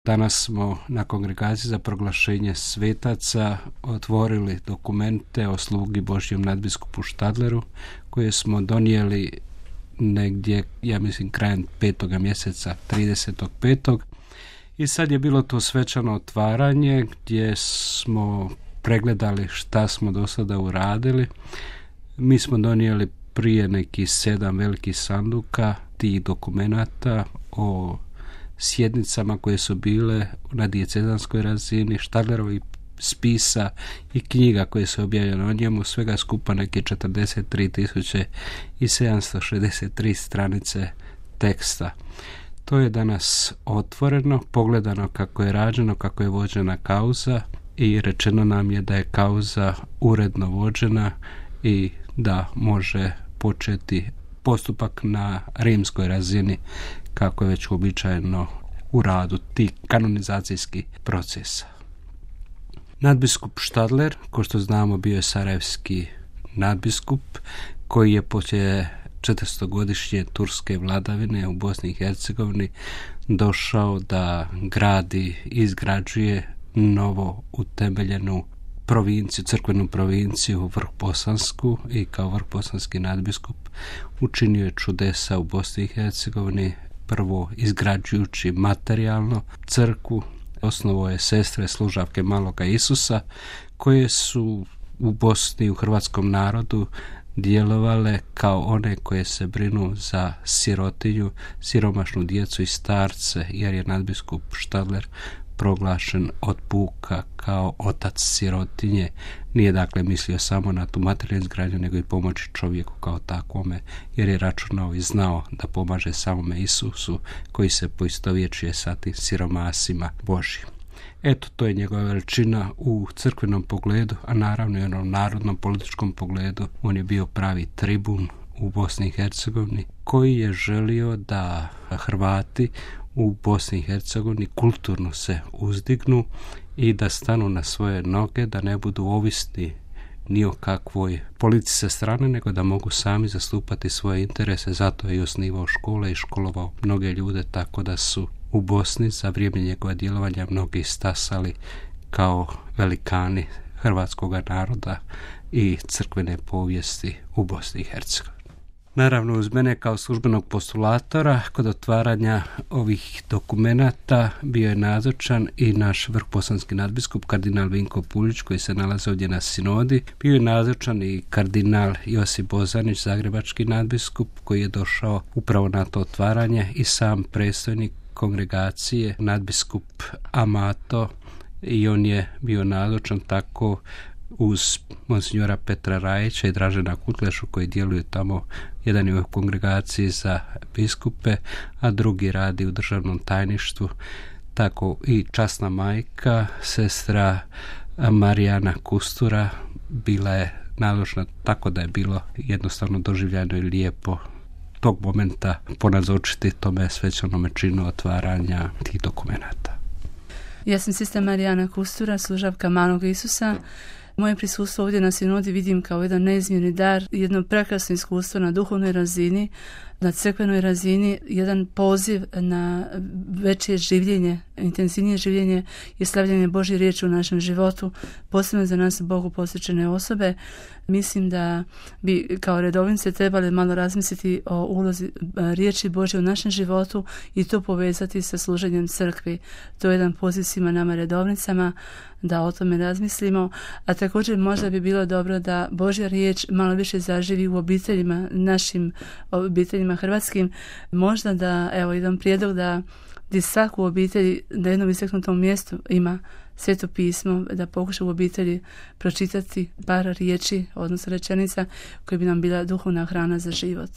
Danas smo na Kongregaciji za proglašenje svetaca otvorili dokumente o slugi Božjem nadbiskupu Štadleru koje smo donijeli negdje, ja mislim, krajem 5. mjeseca, 35. I sad je bilo to svečano otvaranje gdje smo pregledali šta smo do sada uradili. Mi smo donijeli prije nekih 7 velikih sanduka tih dokumenata o sjednicama koje su bile na dijecezanskoj razini, Štadlerovih spisa i knjiga koje su objavljene o njemu, svega skupa neke 43.763 stranice teksta. To je danas otvoreno, pogledano kako je rađeno, kako je vođena kauza i rečeno nam je da je kauza uredno vođena i da može početi postupak na rimskoj razini kako je već uobičajeno u radu tih kanonizacijskih procesa. Nadbiskup Štadler, ko što znamo, bio je sarajevski nadbiskup koji je poslije 400-godišnje turske vladavine u Bosni i Hercegovini došao da gradi i izgrađuje novo utemeljenu provinciju, crkvenu provinciju Vrhbosansku i kao vrhbosanski nadbiskup učinio je čudesa u Bosni i Hercegovini, prvo izgrađujući materijalno crkvu, osnovao je sestre služavke Maloga Isusa koje su u Bosni i u hrvatskom narodu djelovale kao one koje se brinu za sirotinju, siromašnu djecu i starce, jer je nadbiskup Štadler proglašen od puka kao otac sirotinje. Nije dakle mislio samo na tu materijalnu izgradnju, nego i pomoći čovjeku kao takvome, jer je računao i znao da pomaže samome Isusu koji se poistovjećuje sa tim siromasima Božjim. Eto, to je njegova veličina u crkvenom pogledu, a naravno i onom narodnom političkom pogledu. On je bio pravi tribun u Bosni i Hercegovini koji je želio da Hrvati u Bosni i Hercegovini kulturno se uzdignu i da stanu na svoje noge, da ne budu ovisni ni o kakvoj politici sa strane, nego da mogu sami zastupati svoje interese. Zato je i osnivao škole i školovao mnoge ljude, tako da su u Bosni za vrijeme njegova djelovanja mnogi stasali kao velikani hrvatskog naroda i crkvene povijesti u Bosni i Hercegovini. Naravno, uz mene kao službenog postulatora kod otvaranja ovih dokumenata bio je nazočan i naš vrhbosanski nadbiskup kardinal Vinko Puljić koji se nalazi ovdje na sinodi. Bio je nazočan i kardinal Josip Bozanić, zagrebački nadbiskup, koji je došao upravo na to otvaranje, i sam predstojnik kongregacije, nadbiskup Amato, i on je bio nazočan tako uz monsignora Petra Rajića i Dražena Kutlešu koji djeluju tamo. Jedan je u kongregaciji za biskupe, a drugi radi u državnom tajništvu. Tako i časna majka, sestra Marijana Kustura, bila je nazočna, tako da je bilo jednostavno doživljeno i lijepo tog momenta ponazočiti tome svečanome činu otvaranja tih dokumenata. Ja sam sestra Marijana Kustura, služavka Malog Isusa. Moje prisustvo ovdje na sinodi vidim kao jedan neizmjerni dar, jedno prekrasno iskustvo na duhovnoj razini, na crkvenoj razini, jedan poziv na veće življenje, intenzivnije življenje i slavljanje Božje riječi u našem životu, posebno za nas Bogu posvećene osobe. Mislim da bi kao redovnice trebali malo razmisliti o ulozi riječi Božje u našem životu i to povezati sa služenjem crkvi. To je jedan poziv svima nama redovnicama da o tome razmislimo, a također možda bi bilo dobro da Božja riječ malo više zaživi u obiteljima, našim obiteljima hrvatskim. Možda da, evo, jedan prijedlog da svaku obitelji na jednom istaknutom mjestu ima Sveto pismo, da pokuša u obitelji pročitati par riječi, odnosno rečenica koje bi nam bila duhovna hrana za život.